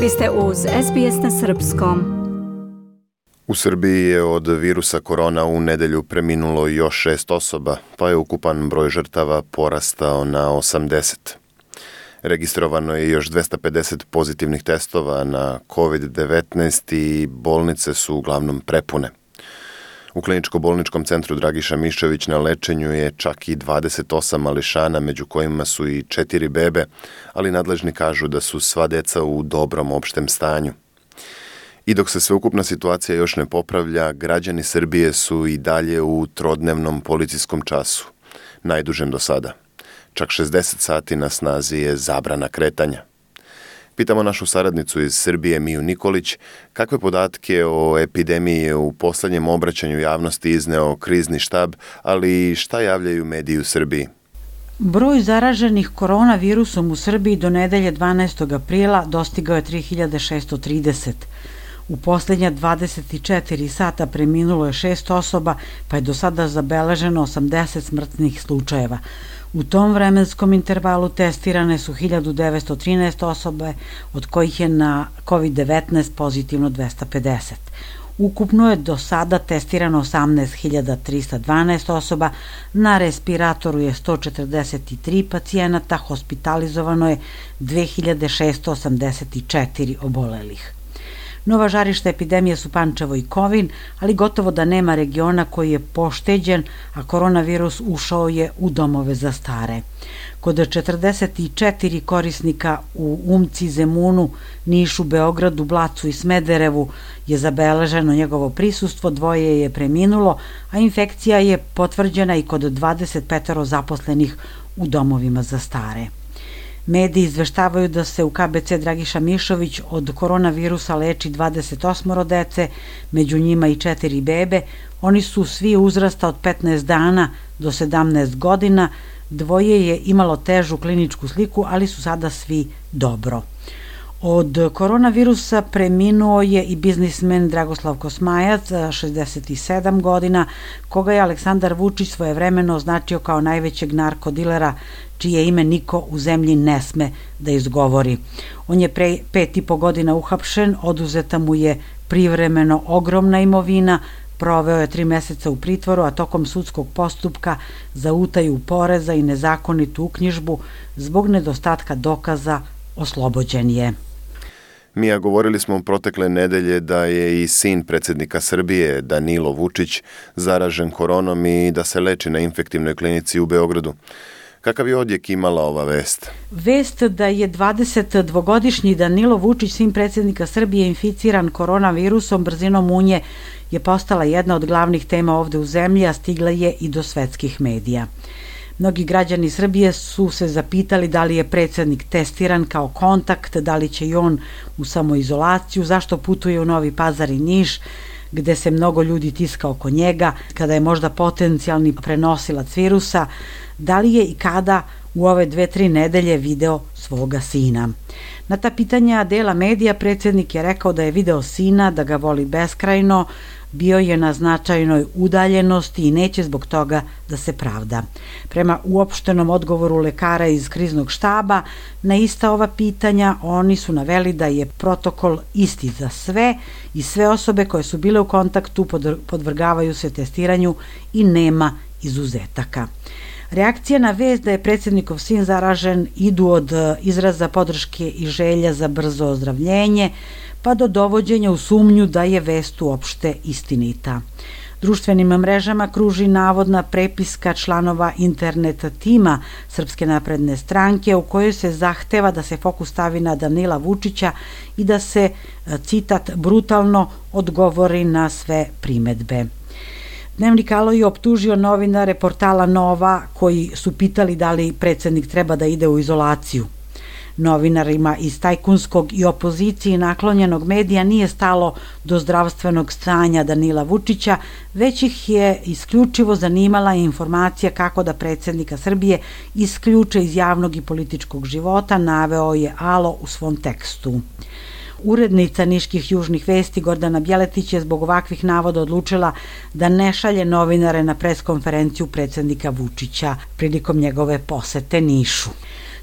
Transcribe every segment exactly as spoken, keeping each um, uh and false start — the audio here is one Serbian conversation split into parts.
Vi ste uz S B S na srpskom. U Srbiji je od virusa korona u nedelju preminulo još šest osoba, pa je ukupan broj žrtava porastao na osamdeset. Registrovano je još dvesta pedeset pozitivnih testova na kovid devetnaest i bolnice su uglavnom prepune. U kliničko-bolničkom centru Dragiša Mišović na lečenju je čak i dvadeset osam mališana, među kojima su i četiri bebe, ali nadležni kažu da su sva deca u dobrom opštem stanju. I dok se sveukupna situacija još ne popravlja, građani Srbije su i dalje u trodnevnom policijskom času, najdužem do sada. Čak šezdeset sati na snazi je zabrana kretanja. Pitamo našu saradnicu iz Srbije, Miju Nikolić, kakve podatke o epidemiji je u poslednjem obraćanju javnosti izneo krizni štab, ali šta javljaju mediji u Srbiji? Broj zaraženih koronavirusom u Srbiji do nedelje dvanaestog aprila dostigao je tri hiljade šesto trideset. U poslednja dvadeset četiri sata preminulo je šest osoba, pa je do sada zabeleženo osamdeset smrtnih slučajeva. U tom vremenskom intervalu testirane su hiljadu devetsto trinaest osobe, od kojih je na kovid devetnaest pozitivno dvesta pedeset. Ukupno je do sada testirano osamnaest hiljada trista dvanaest osoba, na respiratoru je sto četrdeset tri pacijenata, hospitalizovano je dve hiljade šesto osamdeset četiri obolelih. Nova žarišta epidemije su Pančevo i Kovin, ali gotovo da nema regiona koji je pošteđen, a koronavirus ušao je u domove za stare. Kod četrdeset četiri korisnika u Umci, Zemunu, Nišu, Beogradu, Blacu i Smederevu je zabeleženo njegovo prisustvo, dvoje je preminulo, a infekcija je potvrđena i kod dvadeset pet zaposlenih u domovima za stare. Mediji izveštavaju da se u K B C Dragiša Mišović od koronavirusa leči dvadeset osam dece, među njima i četiri bebe. Oni su svi uzrasta od petnaest dana do sedamnaest godina. Dvoje je imalo težu kliničku sliku, ali su sada svi dobro. Od koronavirusa preminuo je i biznismen Dragoslav Kosmajac, šezdeset sedam godina, koga je Aleksandar Vučić svojevremeno označio kao najvećeg narkodilera, čije ime niko u zemlji ne sme da izgovori. On je pre pet i po godina uhapšen, oduzeta mu je privremeno ogromna imovina, proveo je tri meseca u pritvoru, a tokom sudskog postupka za utaju poreza i nezakonitu uknjižbu zbog nedostatka dokaza oslobođen je. Mija, govorili smo protekle nedelje da je i sin predsjednika Srbije, Danilo Vučić, zaražen koronom i da se leči na infektivnoj klinici u Beogradu. Kakav je odjek imala ova vest? Vest da je dvadesetdvogodišnji Danilo Vučić, sin predsjednika Srbije, inficiran koronavirusom brzinom munje je postala jedna od glavnih tema ovde u zemlji, a stigla je i do svetskih medija. Mnogi građani Srbije su se zapitali da li je predsjednik testiran kao kontakt, da li će i on u samoizolaciju, zašto putuje u Novi Pazar i Niš, gde se mnogo ljudi tiska oko njega, kada je možda potencijalni prenosilac virusa, da li je i kada u ove dve, tri nedelje video svoga sina. Na ta pitanja dela medija predsjednik je rekao da je video sina, da ga voli beskrajno, bio je na značajnoj udaljenosti i neće zbog toga da se pravda. Prema uopštenom odgovoru lekara iz kriznog štaba, na ista ova pitanja oni su naveli da je protokol isti za sve i sve osobe koje su bile u kontaktu podvrgavaju se testiranju i nema izuzetaka. Reakcije na vest da je predsjednikov sin zaražen idu od izraza podrške i želja za brzo ozdravljenje, pa do dovođenja u sumnju da je vest uopšte istinita. Društvenim mrežama kruži navodna prepiska članova internet tima Srpske napredne stranke u kojoj se zahteva da se fokus stavi na Danila Vučića i da se, citat, brutalno odgovori na sve primedbe. Dnevnik Alo je optužio novinare portala Nova koji su pitali da li predsjednik treba da ide u izolaciju. Novinarima iz tajkunskog i opoziciji naklonjenog medija nije stalo do zdravstvenog stanja Danila Vučića, već ih je isključivo zanimala informacija kako da predsjednika Srbije isključe iz javnog i političkog života, naveo je Alo u svom tekstu. Urednica Niških južnih vesti Gordana Bjeletić je zbog ovakvih navoda odlučila da ne šalje novinare na preskonferenciju predsjednika Vučića prilikom njegove posete Nišu.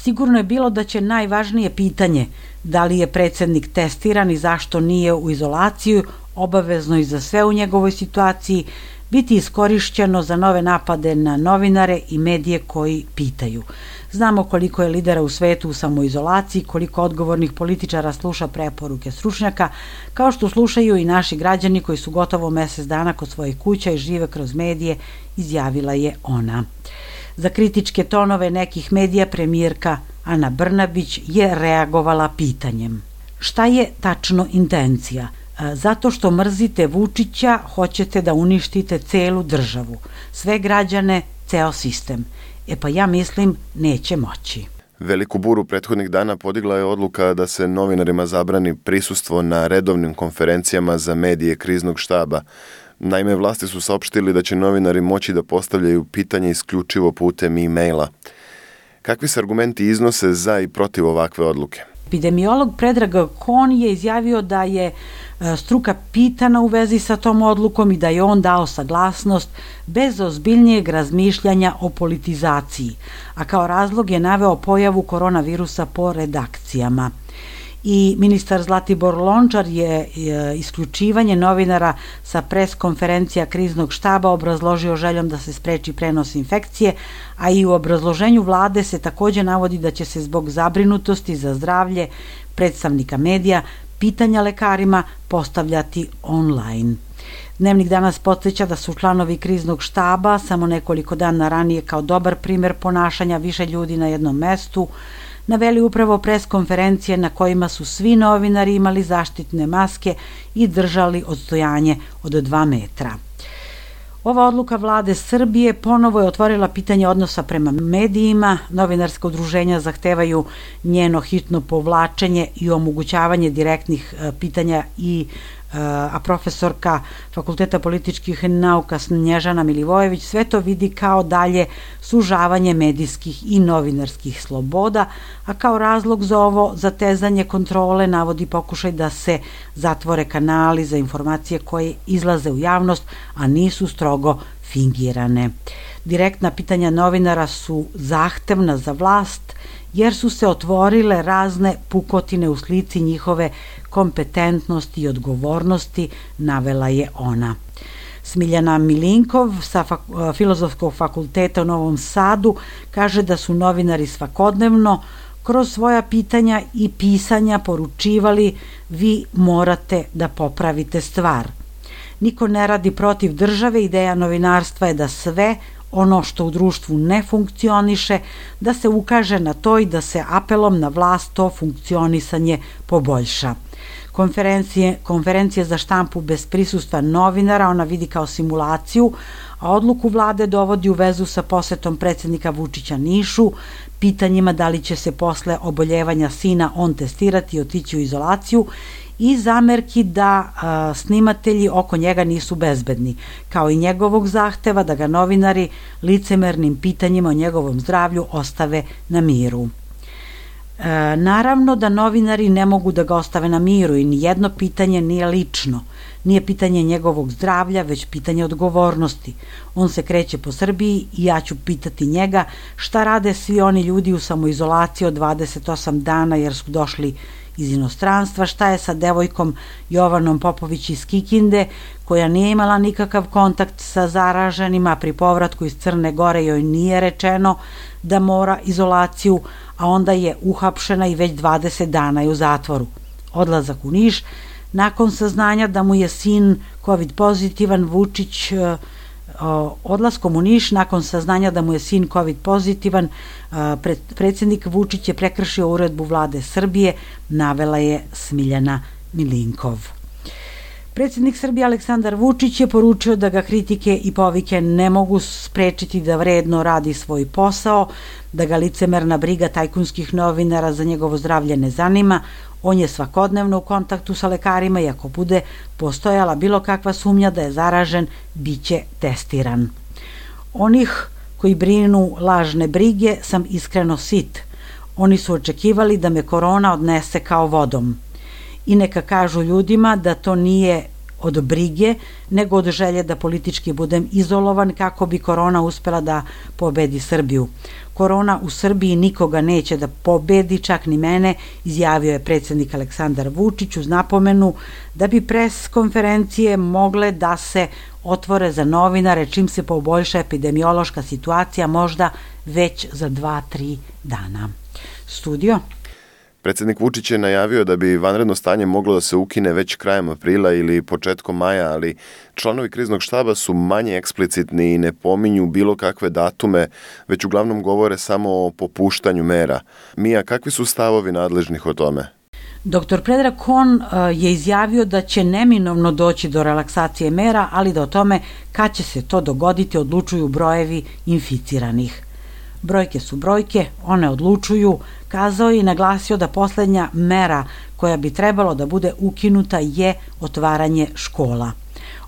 Sigurno je bilo da će najvažnije pitanje, da li je predsednik testiran i zašto nije u izolaciju, obavezno i za sve u njegovoj situaciji, biti iskorišćeno za nove napade na novinare i medije koji pitaju. Znamo koliko je lidera u svetu u samoizolaciji, koliko odgovornih političara sluša preporuke stručnjaka, kao što slušaju i naši građani koji su gotovo mesec dana kod svojih kuća i žive kroz medije, izjavila je ona. Za kritičke tonove nekih medija premijerka Ana Brnabić je reagovala pitanjem: šta je tačno intencija? Zato što mrzite Vučića, hoćete da uništite celu državu, sve građane, ceo sistem. E pa ja mislim, neće moći. Veliku buru prethodnih dana podigla je odluka da se novinarima zabrani prisustvo na redovnim konferencijama za medije kriznog štaba. Naime, vlasti su saopštili da će novinari moći da postavljaju pitanje isključivo putem e-maila. Kakvi se argumenti iznose za i protiv ovakve odluke? Epidemiolog Predrag Kon je izjavio da je struka pitana u vezi sa tom odlukom i da je on dao saglasnost bez ozbiljnijeg razmišljanja o politizaciji, a kao razlog je naveo pojavu koronavirusa po redakcijama. I ministar Zlatibor Lončar je isključivanje novinara sa pres konferencija kriznog štaba obrazložio željom da se spreči prenos infekcije, a i u obrazloženju vlade se takođe navodi da će se zbog zabrinutosti za zdravlje predstavnika medija pitanja lekarima postavljati online. Dnevnik danas podsjeća da su članovi kriznog štaba samo nekoliko dana ranije kao dobar primer ponašanja više ljudi na jednom mestu naveli upravo pres konferencije na kojima su svi novinari imali zaštitne maske i držali odstojanje od dva metra. Ova odluka vlade Srbije ponovo je otvorila pitanje odnosa prema medijima. Novinarska udruženja zahtevaju njeno hitno povlačenje i omogućavanje direktnih pitanja i a profesorka Fakulteta političkih nauka Snježana Milivojević sve to vidi kao dalje sužavanje medijskih i novinarskih sloboda, a kao razlog za ovo zatezanje kontrole navodi pokušaj da se zatvore kanali za informacije koje izlaze u javnost, a nisu strogo fingirane. Direktna pitanja novinara su zahtevna za vlast, jer su se otvorile razne pukotine u slici njihove kompetentnosti i odgovornosti, navela je ona. Smiljana Milinkov sa Filozofskog fakulteta u Novom Sadu kaže da su novinari svakodnevno kroz svoja pitanja i pisanja poručivali: vi morate da popravite stvar. Niko ne radi protiv države, ideja novinarstva je da sve ono što u društvu ne funkcioniše, da se ukaže na to i da se apelom na vlast to funkcionisanje poboljša. Konferencije, konferencije za štampu bez prisustva novinara ona vidi kao simulaciju, a odluku vlade dovodi u vezu sa posetom predsednika Vučića Nišu, pitanjima da li će se posle oboljevanja sina on testirati i otići u izolaciju i zamerki da a, snimatelji oko njega nisu bezbedni, kao i njegovog zahteva da ga novinari licemernim pitanjima o njegovom zdravlju ostave na miru. E, naravno da novinari ne mogu da ga ostave na miru i nijedno pitanje nije lično, nije pitanje njegovog zdravlja, već pitanje odgovornosti. On se kreće po Srbiji i ja ću pitati njega šta rade svi oni ljudi u samoizolaciji od dvadeset osam dana jer su došli iz inostranstva, šta je sa devojkom Jovanom Popović iz Kikinde, koja nije imala nikakav kontakt sa zaraženima, pri povratku iz Crne Gore joj nije rečeno da mora izolaciju, a onda je uhapšena i već dvadeset dana je u zatvoru. Odlazak u Niš, nakon saznanja da mu je sin COVID pozitivan, Vučić odlaskom u Niš, nakon saznanja da mu je sin COVID pozitivan, predsjednik Vučić je prekršio uredbu vlade Srbije, navela je Smiljana Milinkov. Predsjednik Srbije Aleksandar Vučić je poručio da ga kritike i povike ne mogu sprečiti da vredno radi svoj posao, da ga licemerna briga tajkunskih novinara za njegovo zdravlje ne zanima. On je svakodnevno u kontaktu sa lekarima i ako bude postojala bilo kakva sumnja da je zaražen, bit će testiran. Onih koji brinu lažne brige sam iskreno sit. Oni su očekivali da me korona odnese kao vodom. I neka kažu ljudima da to nije od brige, nego od želje da politički budem izolovan kako bi korona uspela da pobedi Srbiju. Korona u Srbiji nikoga neće da pobedi, čak ni mene, izjavio je predsjednik Aleksandar Vučić uz napomenu da bi pres konferencije mogle da se otvore za novinare čim se poboljša epidemiološka situacija, možda već za dva, tri dana. Studio. Predsjednik Vučić je najavio da bi vanredno stanje moglo da se ukine već krajem aprila ili početkom maja, ali članovi kriznog štaba su manje eksplicitni i ne pominju bilo kakve datume, već uglavnom govore samo o popuštanju mera. Mija, kakvi su stavovi nadležnih o tome? Doktor Predrag Kon je izjavio da će neminovno doći do relaksacije mera, ali da o tome kad će se to dogoditi odlučuju brojevi inficiranih. Brojke su brojke, one odlučuju, kazao je i naglasio da poslednja mera koja bi trebalo da bude ukinuta je otvaranje škola.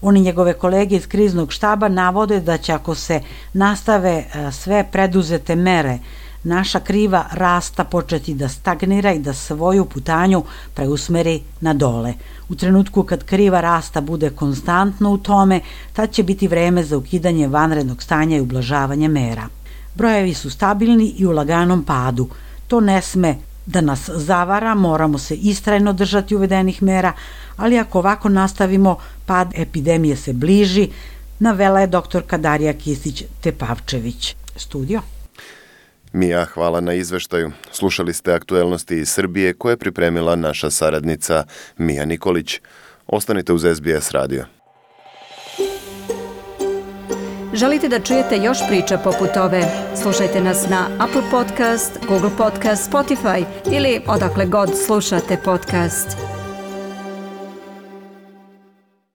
On i njegove kolege iz kriznog štaba navode da će ako se nastave sve preduzete mere, naša kriva rasta početi da stagnira i da svoju putanju preusmeri na dole. U trenutku kad kriva rasta bude konstantno u tome, tad će biti vreme za ukidanje vanrednog stanja i ublažavanje mera. Brojevi su stabilni i u laganom padu. To ne sme da nas zavara, moramo se istrajno držati uvedenih mera, ali ako ovako nastavimo, pad epidemije se bliži, navela je doktorka Darija Kisić-Tepavčević. Studio. Mija, hvala na izveštaju. Slušali ste aktuelnosti iz Srbije koje je pripremila naša saradnica Mija Nikolić. Ostanite uz S B S radio. Želite da čujete još priča poput ove? Slušajte nas na Apple Podcast, Google Podcast, Spotify ili odakle god slušate podcast.